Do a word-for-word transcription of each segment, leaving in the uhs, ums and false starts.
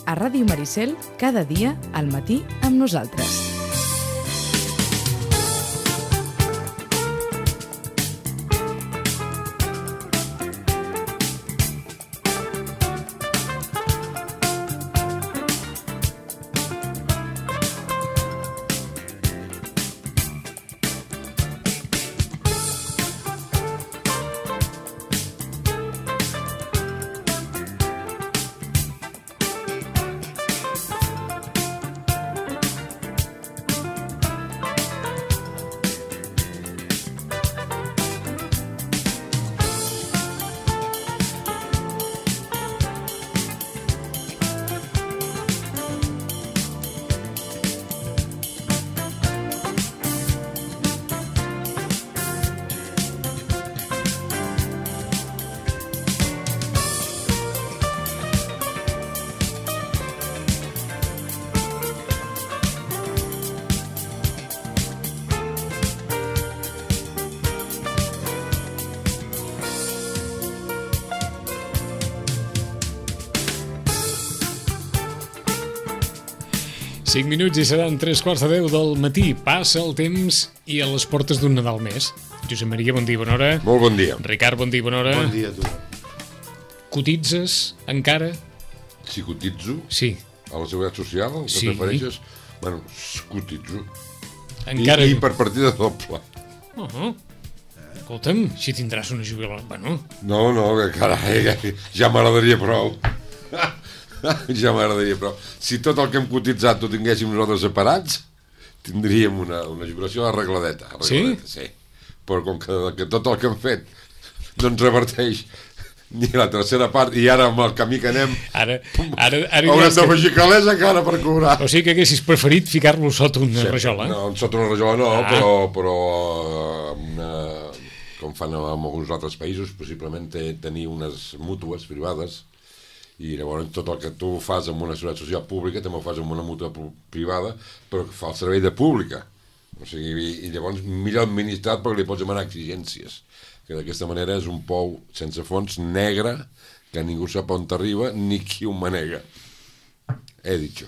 a Ràdio Maricel, cada dia al matí amb nosaltres. cinc minuts i seran tres quarts de deu del matí. Passa el temps i a les portes d'un Nadal més. Josep Maria, bon dia, bona hora. Molt bon dia. Ricard, bon dia, bona hora. Bon dia a tu. Cotitzes encara? Si cotitzo? Sí. A la Seguretat Social, que sí. Prefereixes? Bueno, cotitzo. Encara... I, I per partida doble. Uh -huh. Escolta'm, si tindràs una jubilació... Bueno... No, no, que carai, ja m'agradaria prou. Ja m'agradaria, però si tot el que hem cotitzat ho tinguéssim nosaltres separats, tindríem una, una jubilació arregladeta, arregladeta. Sí? Sí. Però com que, que tot el que hem fet no ens reverteix ni la tercera part, i ara amb el camí que anem ara, ara, ara haurem de que... afegir calés encara per cobrar. O sigui que haguessis preferit ficar-lo sota una sí, rajola? No, sota una rajola no, ah. però, però una, com fan en alguns altres països, possiblement tenir unes mútues privades. I llavors tot el que tu fas amb una seguretat social pública també ho fas amb una mútua privada, però que fa el servei de pública. O sigui, i llavors millor administrat perquè li pots demanar exigències, que d'aquesta manera és un pou sense fons negre que ningú sap on t'arriba ni qui ho manega. He dit jo.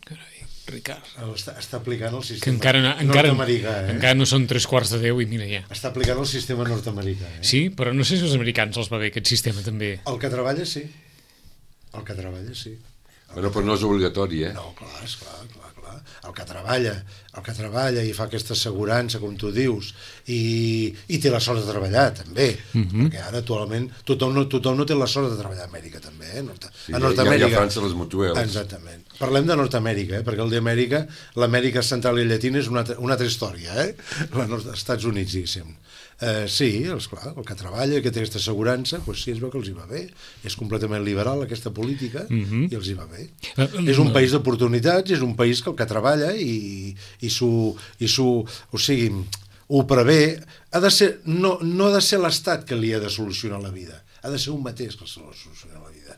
Carai, Ricard. Està, està aplicant el sistema que encara, encara, nord-americà, eh? Encara no són tres quarts de deu i mira ja. Està aplicant el sistema nord-americà, eh? Sí, però no sé si als americans els va bé aquest sistema també. El que treballa sí. El que treballa, sí. Bueno, però no és obligatori, eh? No, clar, esclar, clar, clar. El que treballa, el que treballa i fa aquesta assegurança, com tu dius, i, i té la sort de treballar, també. Uh-huh. Perquè ara, actualment, tothom no, tothom no té la sort de treballar a Amèrica, també, eh? Nord sí, a Nord-Amèrica. Hi ha, hi ha França, les mutuels. Exactament. Parlem de Nord-Amèrica, eh? Perquè el d'Amèrica, l'Amèrica Central i Llatina és una altra, una altra història, eh? Els Estats Units, diguéssim. Uh, sí, esclar, el que treballa, que té aquesta assegurança, doncs sí, es veu que els hi va bé. És completament liberal aquesta política, uh-huh. i els hi va bé. Uh, uh, és un país d'oportunitats, és un país que el que treballa i, i s'ho, i s'ho, o sigui, ho prevé. Ha de ser, no, no ha de ser l'Estat que li ha de solucionar la vida, ha de ser un mateix que se li soluciona la vida.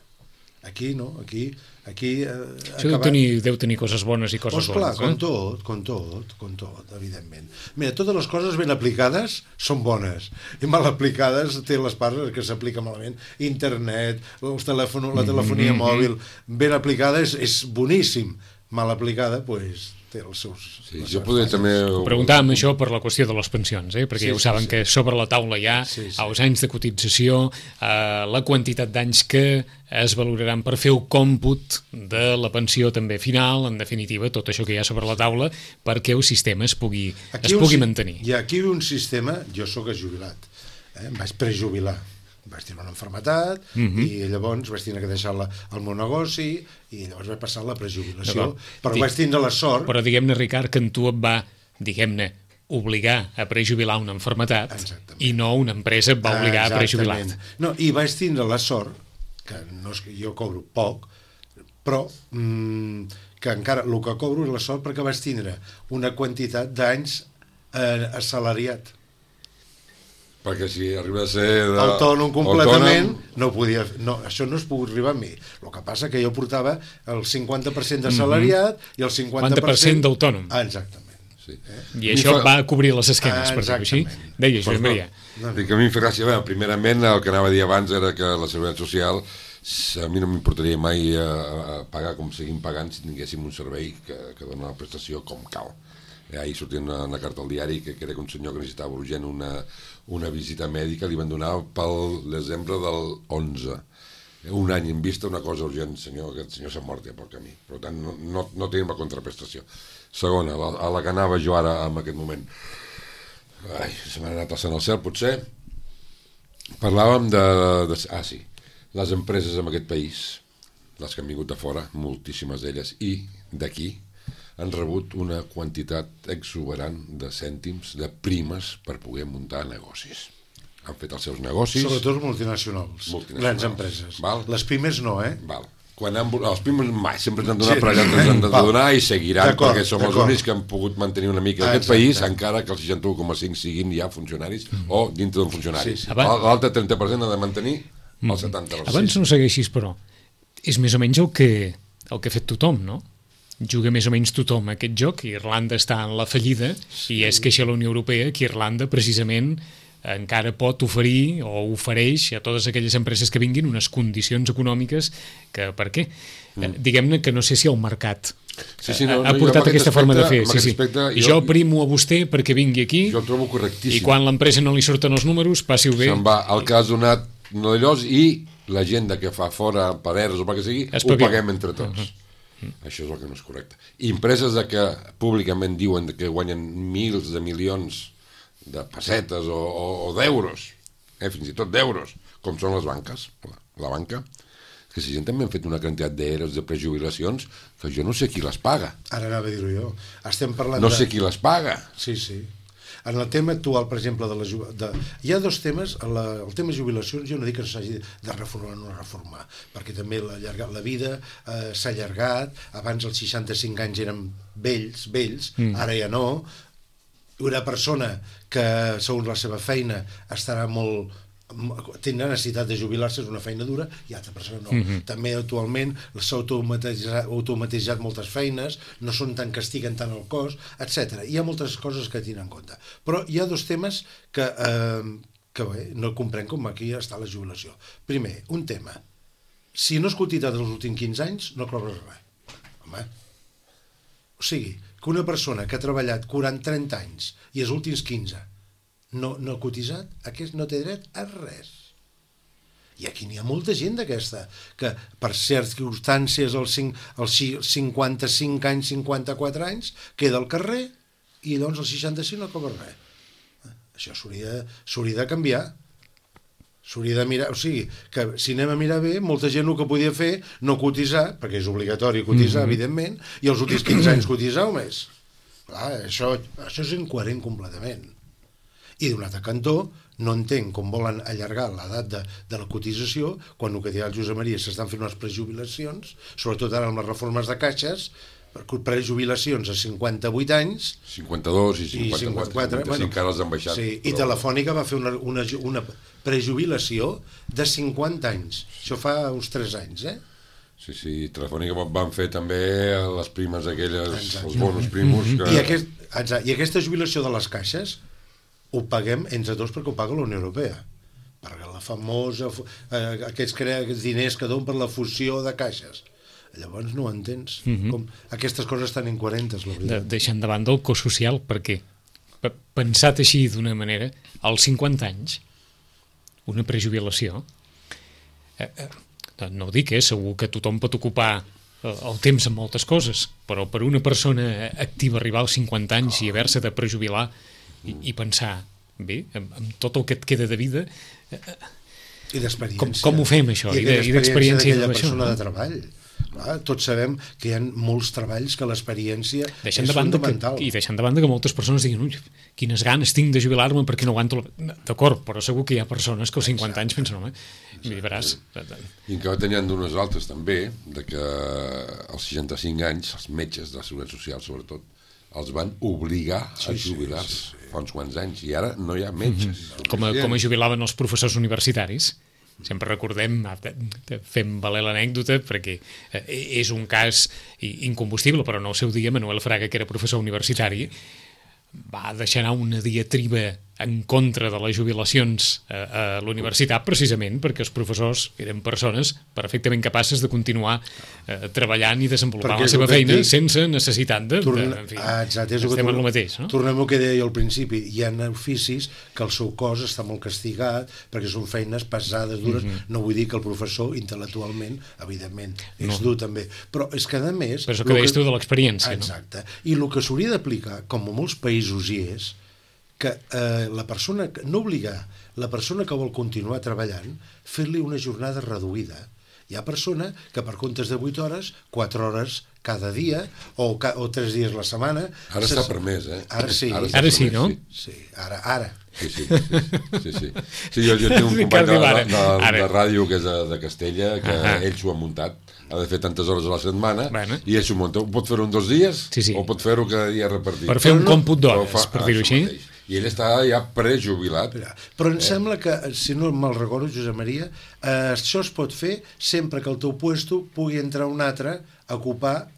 Aquí no, aquí... Aquí, eh, Això deu tenir, deu tenir coses bones i coses pues clar, bones. Com tot, com tot, com tot, evidentment. Mira, totes les coses ben aplicades són bones, i mal aplicades té les parts que s'aplica malament. Internet, els telèfon, la telefonia mm-hmm. mòbil, ben aplicada és, és boníssim. Mal aplicada, doncs, pues, té els seus... Sí, jo podria també... Preguntàvem això per la qüestió de les pensions, eh? perquè sí, ja ho saben sí, sí. que sobre la taula hi ha sí, sí. els anys de cotització, eh, la quantitat d'anys que es valoraran per fer el còmput de la pensió també final, en definitiva, tot això que hi ha sobre la taula, perquè el sistema es pugui, es pugui un, mantenir. Hi ha aquí un sistema, jo sóc jubilat, eh? em vaig prejubilar, vaig tenir una malaltia uh-huh. i llavors vaig tenir que deixar la, el meu negoci i llavors vaig passar la prejubilació, però Dic, vaig tindre la sort... Però diguem-ne, Ricard, que en tu et va, diguem-ne, obligar a prejubilar una malaltia i no una empresa et va obligar Exactament. a prejubilar. No, i vaig tindre la sort, que no és que jo cobro poc, però mmm, que encara el que cobro és la sort perquè vaig tindre una quantitat d'anys eh, assalariat. Perquè si arriba a ser de... autònom completament, autònom... no podia, no, això no es pogut arribar a mi. El que passa que jo portava el cinquanta per cent d'assalariat mm-hmm. i el cinquanta per cent d'autònom. Ah, exactament. Sí. Eh? I això fa... va cobrir les esquenes, ah, per dir-ho així. Deia, Josep Maria. No, no. Dic, a mi em fa gràcia, bé, primerament el que anava a dir abans era que la Seguretat Social a mi no m'importaria mai a, a pagar com seguim pagant si tinguéssim un servei que, que dona la prestació com cal. Ahir sortia una, una carta al diari que, que era que un senyor que necessitava urgent una, una visita mèdica li van donar pel desembre del onze. Un any en vista, una cosa urgent, senyor, aquest senyor s'ha mort ja pel camí. Per tant, no, no, no tenim la contraprestació. Segona, a la, a la que anava jo ara en aquest moment. Ai, se m'ha anat alçant al cel, potser. Parlàvem de, de... Ah, sí. Les empreses en aquest país, les que han vingut de fora, moltíssimes d'elles, i d'aquí, han rebut una quantitat exuberant de cèntims, de primes, per poder muntar negocis. Han fet els seus negocis... Sobretot multinacionals, multinacionals. Grans empreses. Val? Les pimes no, eh? Val. Quan han, els pimes mai sempre ens han donat, sí, però allà ens han de donar i seguiran, perquè som els únics que han pogut mantenir una mica ah, aquest exacte. País, encara que els seixanta u coma cinc siguin ja funcionaris mm. o dintre d'un funcionari. Sí, sí. L'altre trenta per cent ha de mantenir el setanta per cent. Abans no segueixis, però és més o menys el que, el que ha fet tothom, no? Juga més o menys tothom aquest joc. Irlanda està en la fallida sí. i és queixa la Unió Europea que Irlanda precisament encara pot oferir o ofereix a totes aquelles empreses que vinguin unes condicions econòmiques que, per què? Mm. Diguem-ne que no sé si el mercat sí, sí, no, ha no, portat aquesta aspecte, forma de fer. Sí, sí. Aspecte, jo, jo primo a vostè perquè vingui aquí jo el trobo correctíssim. I quan l'empresa no li surten els números, passi-ho bé. Se'n va el que has donat no d'allòs i la gent que fa fora per erros o pel que sigui, ho paguem entre tots. Uh-huh. Això és el que no és correcte. I empreses de que públicament diuen que guanyen mils de milions de pessetes o, o, o d'euros, eh, fins i tot d'euros, com són les banques, la, la banca, que si gent també han fet una quantitat d'eros de prejubilacions que jo no sé qui les paga. Ara anava a dir-ho jo. Estem parlant no de... sé qui les paga. Sí, sí. En el tema actual, per exemple, de la de... hi ha dos temes. La... El tema jubilacions, jo no dic que s'hagi de reformar o no reformar, perquè també la, la vida eh, s'ha allargat. Abans els seixanta-cinc anys eren vells, vells, mm. ara ja no. Una persona que, segons la seva feina, estarà molt... tindrà necessitat de jubilar-se, és una feina dura, i altra persona no. Mm-hmm. També actualment s'ha automatitzat, automatitzat moltes feines, no són tan castiguen tant el cos, etcètera. Hi ha moltes coses que tenen en compte. Però hi ha dos temes que, eh, que bé, no comprenc com aquí està la jubilació. Primer, un tema. Si no has cotitzat els últims quinze anys, no cobres res. Home. O sigui, que una persona que ha treballat quaranta trenta anys i els últims quinze no, no ha cotitzat, aquest no té dret a res. I aquí n'hi ha molta gent d'aquesta, que per circumstàncies als, als cinquanta-cinc anys, cinquanta-quatre anys, queda al carrer i doncs als seixanta-cinc no cobra res. Això s'hauria de canviar. S'hauria de mirar, o sigui, que si anem a mirar bé, molta gent el que podia fer no cotitzar, perquè és obligatori cotitzar, mm-hmm. evidentment, i els últims quinze anys cotitzar o més. Clar, això, això és incoherent completament. I d'un altre cantó, no entenc com volen allargar l'edat de, de la cotització, quan el que dirà el Josep Maria s'estan fent unes prejubilacions, sobretot ara amb les reformes de caixes, prejubilacions a cinquanta-vuit anys, cinquanta-dos i cinquanta-quatre, i cinquanta-quatre bueno, encara els han baixat. Sí, però... I Telefònica va fer una, una, una prejubilació de cinquanta anys. Això fa uns tres anys, eh? Sí, sí, Telefònica van fer també les primes aquelles, exacte. Els bonus primos. Que... I, aquest, exacte, I aquesta jubilació de les caixes ho paguem entre tots perquè ho paga la Unió Europea. Perquè la famosa, eh, aquests, aquests diners que donen per la fusió de caixes. Llavors no ho entens. Mm-hmm. Com aquestes coses tan incoherentes, la veritat. De, deixant de banda el cost social, perquè pensat així d'una manera, als cinquanta anys, una prejubilació, eh, eh, no ho dic, eh, segur que tothom pot ocupar el temps en moltes coses, però per una persona activa arribar als cinquanta anys i haver-se de prejubilar i, i pensar, bé, amb, amb tot el que et queda de vida... Eh, I d'experiència. Com, com ho fem, això? I, I d'experiència d'aquella persona no? de treball. Clar, tots sabem que hi ha molts treballs que l'experiència és de fundamental. Que, I deixant de banda que moltes persones diguin ui, quines ganes tinc de jubilar-me perquè no aguanto... La... D'acord, però segur que hi ha persones que als cinquanta anys pensen home, m'hi veràs. I que tenien d'unes altres també, de que als seixanta-cinc anys, els metges de la Seguretat Social sobretot, els van obligar a jubilar-se sí, sí, sí. fa uns quants anys, i ara no hi ha metges. Mm-hmm. Com, a, com a jubilaven els professors universitaris. Sempre recordem, fem valer l'anècdota, perquè és un cas incombustible, però no al seu dia Manuel Fraga, que era professor universitari, va deixar anar una diatriba en contra de les jubilacions a, a l'universitat, precisament perquè els professors eren persones perfectament capaces de continuar eh, treballant i desenvolupant perquè la seva feina dic, sense necessitat de... Torna, de en fi, ah, exacte, és estem que en el mateix, no? Tornem al que deia al principi, hi ha oficis que el seu cos està molt castigat perquè són feines pesades, dures, mm-hmm. no vull dir que el professor intel·lectualment, evidentment, és no. dur també, però és que a més... Però és el que deies tu de l'experiència, no? Exacte, i el que s'hauria d'aplicar, com a molts països hi és, que eh, la persona, no obligar la persona que vol continuar treballant, fer-li una jornada reduïda. Hi ha persona que per comptes de vuit hores, quatre hores cada dia, o, ca, o tres dies la setmana... Ara està permès, eh? Ara sí. Ara, ara sí, no? Sí, ara, ara. Sí, sí, sí, sí, sí. sí jo, jo tinc un company de, de, de, de ràdio que és de, de Castella, que uh -huh. ell s'ho ha muntat, ha de fer tantes hores a la setmana, bueno. i ell s'ho munta. Pot fer-ho en dos dies, sí, sí. o pot fer-ho cada dia repartit. Per fer un no, còmput d'hores, per dir-ho així. Mateix. I ell està ja prejubilat. Però em eh? sembla que, si no me'l recordo, Josep Maria, eh, això es pot fer sempre que el teu puesto pugui entrar un altre a ocupar,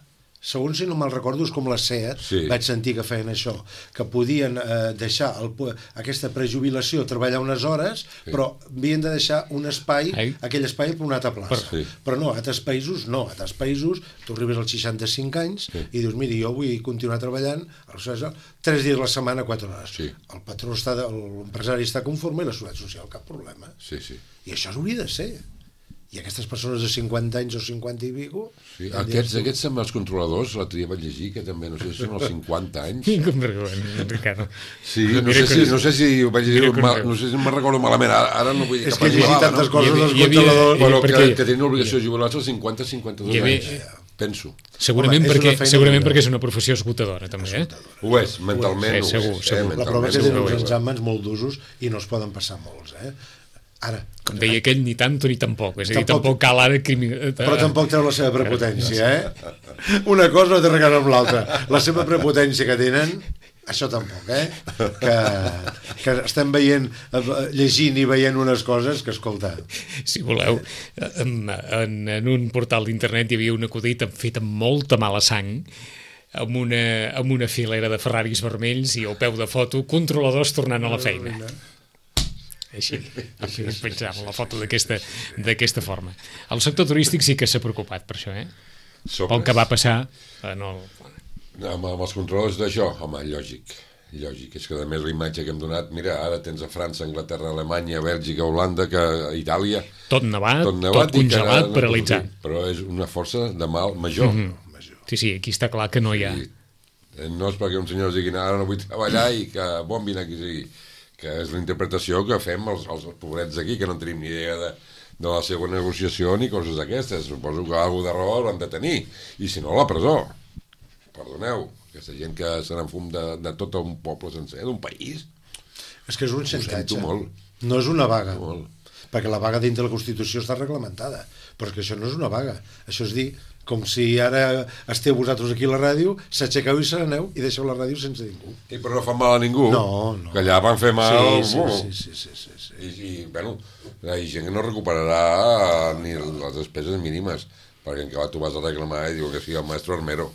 segons si no me'l recordo, és com la SEAT, sí. vaig sentir que feien això, que podien eh, deixar el, aquesta prejubilació, treballar unes hores, sí. però havien de deixar un espai, Ai. aquell espai per una altra plaça. Per, sí. Però no, a altres països no, a altres països tu arribes als seixanta-cinc anys sí. i dius, miri, jo vull continuar treballant tres dies a la setmana, quatre hores. Sí. El patró està, l'empresari està conforme i la Seguretat Social, cap problema. Sí, sí. I això hauria de ser. I aquestes persones de cinquanta anys o cinquanta i pico... Sí, aquests, aquests són els controladors, l'altre dia vaig llegir, que també, no sé si són els cinquanta anys. Com vergonya, Ricardo. Sí, no sé si, no sé si vaig llegir, mal, no sé si me'n recordo malament, ara, ara no vull dir és que he llegit tantes no? coses als controladors... Però que, que tenen obligació de jubilar-se als cinquanta cinquanta-dos anys, penso. Segurament, Home, perquè, segurament perquè és una professió esgotadora, també, eh? Ho és, mentalment ho és. Segur, segur. La prova és que tenen uns exàmens molt d'usos i no es poden passar molts, eh? Ara, com deia aquell, ni tanto ni tampoc, és a dir, tampoc, tampoc cal ara crimi... però tampoc treu la seva prepotència, eh? Una cosa no té res amb l'altra, la seva prepotència que tenen, això tampoc, eh? Que, que estem veient, llegint i veient unes coses que, escolta... Si voleu, en, en, en un portal d'internet hi havia un acudit fet amb molta mala sang, amb una, amb una filera de Ferraris vermells i al peu de foto, controladors tornant a la feina. Així, així es pensava la foto d'aquesta forma. El sector turístic sí que s'ha preocupat per això, eh? Pel que va passar en el... Amb, amb els controladors d'això, home, lògic, lògic. És que a més la imatge que hem donat, mira, ara tens a França, Anglaterra, Alemanya, Bèlgica, Holanda, que a Itàlia... Tot nevat, tot, nevat, tot congelat, no, paralitzat. No, però és una força de mal major. Mm-hmm. major. Sí, sí, aquí està clar que no hi ha... Sí. No és perquè un senyor digui, ara no vull treballar i que bon vine aquí sigui... que és la interpretació que fem els, els pobrets d'aquí, que no tenim ni idea de, de la seva negociació ni coses d'aquestes. Suposo que alguna de raó l'han de tenir, i si no, a la presó. Perdoneu, aquesta gent que se n'enfum de, de tot un poble sencer, d'un país. És que és un xantatge. No és una vaga. Molt. Perquè la vaga dintre de la Constitució està reglamentada. Però és que això no és una vaga. Això és dir, com si ara esteu vosaltres aquí a la ràdio, s'aixequeu i se n'aneu i deixeu la ràdio sense ningú. I però no fan mal a ningú. No, no. Que allà van fer mal... Sí, sí, sí, sí, sí, sí. I, i, bueno, hi ha gent que no recuperarà ni les despeses mínimes, perquè en què tu vas a reclamar i diu que sigui el maestro Armero.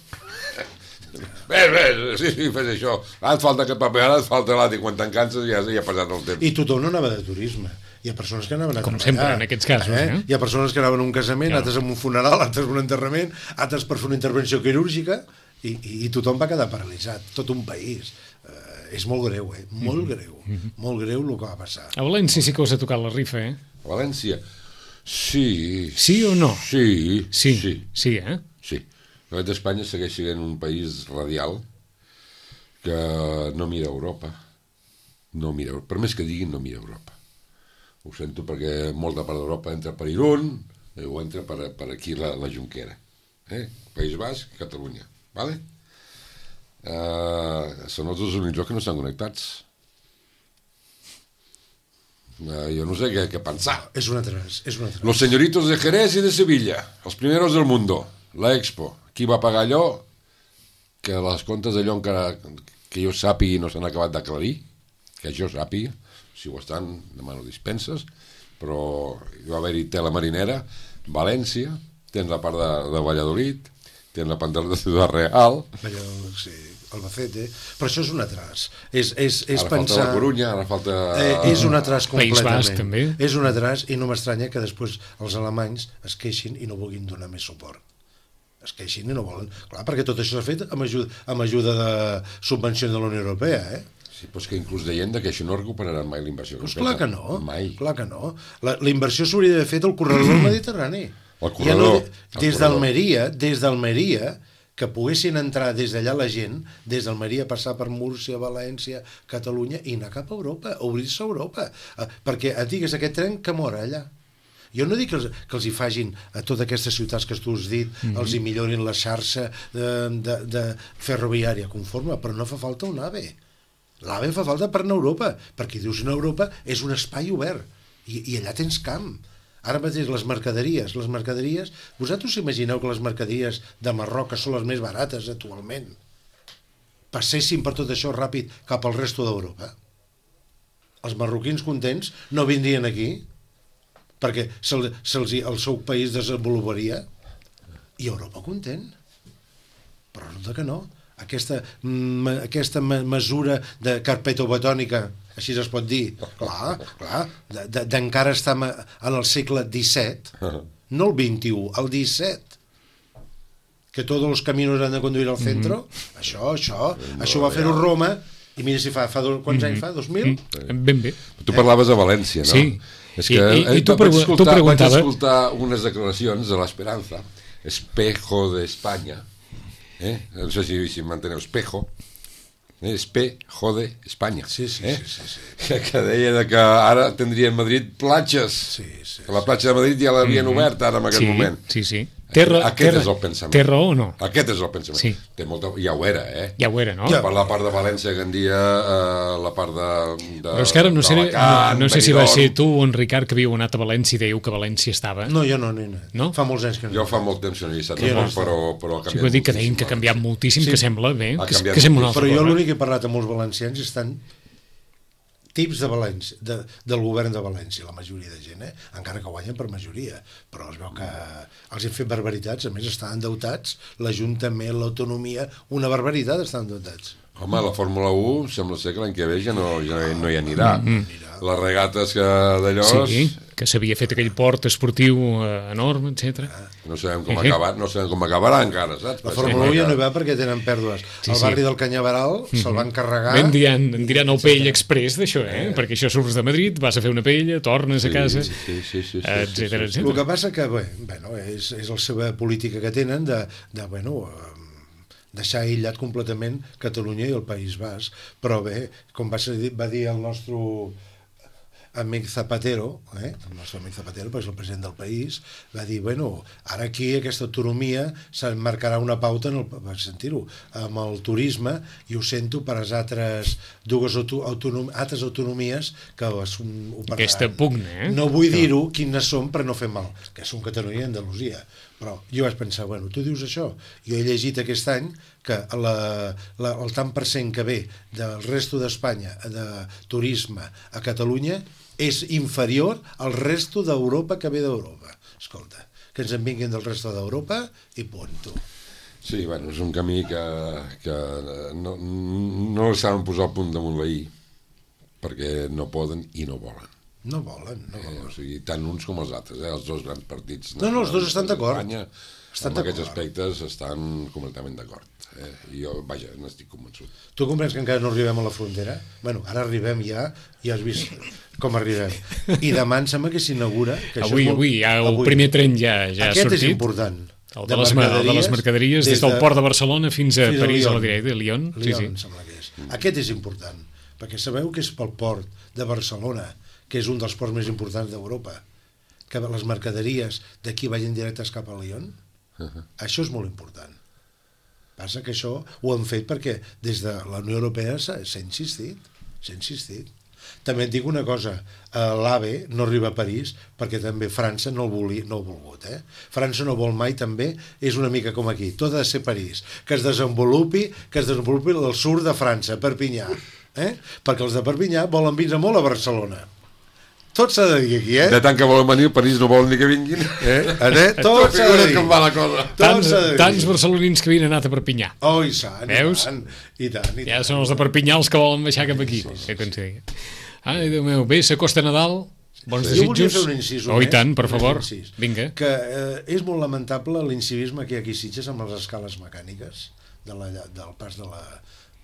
Ves, ves, sí, sí, fes això. Ara et falta aquest paper, ara et falta l'altre, i quan te'n canses ja, ja ha passat el temps. I tothom no anava de turisme. Hi ha persones que anaven a Com treballar. sempre, en aquests casos. Eh? Eh? Hi ha persones que anaven a un casament, ja. altres a un funeral, altres a un enterrament, altres per fer una intervenció quirúrgica, i, i, i tothom va quedar paralitzat, tot un país. Uh, és molt greu, eh? Molt mm-hmm. greu. Mm-hmm. Molt greu el que va passar. A València sí que us ha tocat la rifa, eh? A València? Sí. Sí o no? Sí. Sí, sí, sí eh? Sí. El govern d'Espanya segueix sent un país radial que no mira Europa. No mira, per més que diguin, no mira Europa. Ho sento perquè molta part d'Europa entra per Irún o entra per, per aquí la, la Junquera. Eh? País Basc, Catalunya. Vale? Uh, són els dos únics que no estan connectats. Uh, jo no sé què, què pensar. És una tres, és una tres. Los señoritos de Jerez i de Sevilla, els primeros del mundo, la Expo. Qui va pagar allò? Que les comptes d'allò encara que jo sàpigui no s'han acabat d'aclarir, que jo sàpiga. Si ho estan, demano dispenses, però hi va haver-hi tela marinera, València, tens la part de, de Valladolid, tenen la pantalla de Ciudad Real. Allò, sí, Albacete, però això és un atras. És, és, és Ara pensar... falta la Corunya, ara falta... Eh, és un atras País completament. Basc, també. És un atras i no m'estranya que després els alemanys es queixin i no vulguin donar més suport. Es queixin i no volen. Clar, perquè tot això s'ha fet amb ajuda, amb ajuda de subvenció de la Unió Europea, eh? Sí, però és que inclús deien que això no recuperaran mai la inversió. Pues clar que no, Mai. clar que no. La, la inversió s'hauria d'haver fet al corredor del Mediterrani. El corredor. Ja no, des d'Almeria, des d'Almeria, que poguessin entrar des d'allà la gent, des d'Almeria passar per Múrcia, València, Catalunya i anar cap a Europa, obrir-se a Europa. Eh, perquè et digues, aquest tren que mora allà. Jo no dic que els, que els hi fagin a totes aquestes ciutats que tu has dit, mm-hmm. els hi millorin la xarxa de, de, de ferroviària conforme, però no fa falta un AVE. L'AVE fa falta per anar a Europa, perquè dius que Europa és un espai obert, i, i allà tens camp. Ara mateix les mercaderies, les mercaderies... Vosaltres imagineu que les mercaderies de Marroc, que són les més barates actualment, passessin per tot això ràpid cap al resto d'Europa? Els marroquins contents no vindrien aquí perquè se'ls, se'ls, el seu país desenvoluparia i Europa content. Però resulta que no. Aquesta, aquesta mesura de carpetobetònica, així es pot dir, clar, clar, d'encara estar en el segle disset, no el vint-i-u, el disset, que tots els caminos han de conduir al centre, mm-hmm. això, això, no, això va fer-ho Roma, i mira si fa, fa dos, quants mm-hmm. anys fa, dos mil? Mm-hmm. Ben bé. Tu parlaves a València, no? Sí. És que I, i, i tu, vaig, pregu escoltar, tu preguntava... vaig escoltar unes declaracions de l'Esperanza, Espejo de España, eh? no sé si, si m'enteneu, Espejo, eh? Espejo de España, sí, sí, eh? sí, sí, sí. Que, que deia que ara tindria en Madrid platges, sí, sí, que la platja de Madrid ja l'havien mm-hmm. obert ara en aquest sí, moment. Sí, sí. Té raó, Aquest té, és el pensament. Té raó o no? Aquest és el pensament. Sí. Té molta... Ja ho era, eh? Ja ho era, no? Ja. Per la part de València, que en dia, eh, la part de, de... Però és que ara no sé, no, no sé si va ser tu o en Ricard que havíeu anat a València i dèieu que València estava. No, jo no, no, no. No? Fa molts anys que no. Jo fa molt temps que no hi he estat, no però, però ha canviat sí, vull dir que deien que ha canviat moltíssim, sí. Que sembla bé, que, que sembla una altra però jo cosa. L'únic que he parlat amb molts valencians estan tips de València, de, del govern de València, la majoria de gent, eh? Encara que guanyen per majoria, però es veu que els han fet barbaritats, a més estan endeutats, l'Ajuntament, l'autonomia, una barbaritat estan endeutats. Home, la Fórmula u sembla ser que l'any que ve ja no, ja no hi anirà. Mm-hmm. Les regates que d'allò... Sí, que s'havia fet aquell port esportiu eh, enorme, etcètera. No sabem com acabar, no sabem com acabarà encara, saps? La Fórmula u ja no hi va perquè tenen pèrdues. Sí, el barri sí. del Canyaveral mm-hmm. se'l van carregar... Ben diran, en diran el Pell Express d'això, eh? eh? Perquè això surts de Madrid, vas a fer una paella, tornes sí, a casa, sí, sí, sí, sí, etcètera, sí, sí, sí. etcètera. El que passa que, bé, bueno, és, és la seva política que tenen de, de bueno... deixar aïllat completament Catalunya i el País Basc, però bé, com va, ser, va dir el nostre amic Zapatero, eh? el nostre amic Zapatero, perquè és el president del país, va dir, bueno, ara aquí aquesta autonomia s'emmarcarà una pauta, en el, per sentir-ho, amb el turisme, i ho sento per les altres dues autonom, altres autonomies que ho pararan. Aquesta pugna, eh? No vull dir-ho quines són per no fer mal, que són Catalunya i Andalusia. Però jo vaig pensar, bueno, tu dius això, jo he llegit aquest any que la, la, el tant per cent que ve del resto d'Espanya de turisme a Catalunya és inferior al resto d'Europa que ve d'Europa. Escolta, que ens en vinguin del resto d'Europa i punt, tu. Sí, bueno, és un camí que, que no, no el saben posar al punt damunt la i, perquè no poden i no volen. No volen, no volen. Eh, o sigui, tant uns com els altres, eh? Els dos grans partits. No, no, els dos estan d'acord. Estan amb aquests aspectes estan completament d'acord. Eh? I jo, vaja, n'estic convençut. Tu comprens que encara no arribem a la frontera? Bueno, ara arribem ja, ja has vist com arribem. I demà em sembla que s'inaugura... Que avui, molt... avui, ja, el avui. primer tren ja, ja ha sortit. Aquest és important. El de, de, les, el de les mercaderies, des, des del de... port de Barcelona fins a fins París, a, a la directa, de Lyon. Lyon, sí, sí. em sembla que és. Mm. Aquest és important, perquè sabeu que és pel port de Barcelona, que és un dels ports més importants d'Europa, que les mercaderies d'aquí vagin directes cap a Lyon. Uh-huh. Això és molt important. Passa que això ho han fet perquè des de la Unió Europea s'ha insistit, s'ha insistit. També et dic una cosa, l'AVE no arriba a París perquè també França no el, voli, no el volgut. Eh? França no vol mai també, és una mica com aquí, tot ha de ser París, que es desenvolupi, que es desenvolupi el sud de França, Perpinyà, eh? Perquè els de Perpinyà volen vindre molt a Barcelona. tot s'ha de dir aquí, eh? De tant que volen venir, París no volen ni que vinguin. Eh? eh? Tot s'ha de dir. Com va la cosa. Tants, tants barcelonins que havien anat a Perpinyà. Oh, i sant, Veus? i tant, i tant, i tant. Ja són els de Perpinyà els que volen baixar cap aquí. Sí, sí, sí. Ai, Déu meu, bé, s'acosta Nadal, bons Jo volia desitjos. fer un incís Oh, i només, tant, per un favor, incís. vinga. Que eh, és molt lamentable l'incivisme que hi ha aquí a Sitges amb les escales mecàniques de la, del pas de la,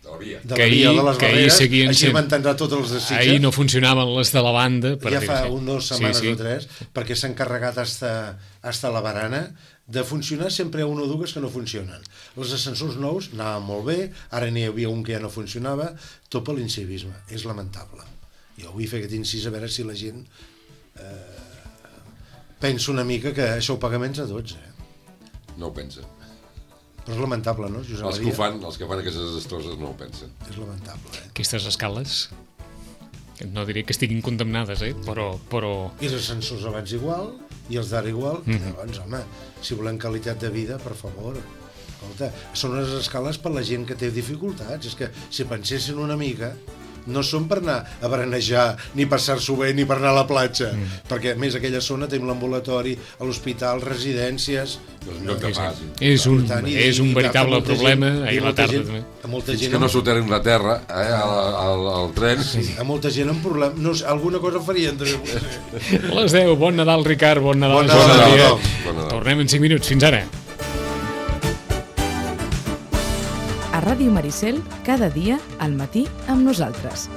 De la via. de Que la via ahir- de les que ahir barreres, seguien així sent- van tancar tots els de Sitges. Ahir no funcionaven les de la banda. Per ja dir-ho fa així. un dos setmanes sí, sí. o tres, perquè s'han carregat hasta, hasta la barana. De funcionar sempre hi ha una o dues que no funcionen. Els ascensors nous anaven molt bé, ara n'hi havia un que ja no funcionava, tot per l'incivisme. És lamentable. Jo vull fer aquest incís a veure si la gent eh, pensa una mica que això ho paga menys a tots, eh? No ho pensen. Però és lamentable, no, Josep Els que Maria? ho fan, els que fan aquestes destrosses no ho pensen. És lamentable, eh? Aquestes escales, no diré que estiguin condemnades, eh? però, però I els ascensors abans igual, i els d'ara igual. Mhm. Llavors, home, si volem qualitat de vida, per favor, escolta, són unes escales per la gent que té dificultats. És que si pensessin una mica, no són per anar a berenejar, ni passar-s'ho bé, ni per anar a la platja, Mhm. perquè a més aquella zona tenim l'ambulatori, a l'hospital, residències... És un lloc de pas. és un, Per tant, i- és un i veritable molta problema. gent- i Ahir a la molta tarda gent- també. A molta Fins gent, que no amb, soterrin la terra, eh, al, al, al tren. a molta gent amb problemes... No, sé, alguna cosa farien també. potser. Les deu, bon Nadal, Ricard, bon Nadal. Bon Josep Nadal, Maria. tothom. Bon Nadal. Tornem en cinc minuts, fins ara. A Ràdio Maricel, cada dia al matí amb nosaltres.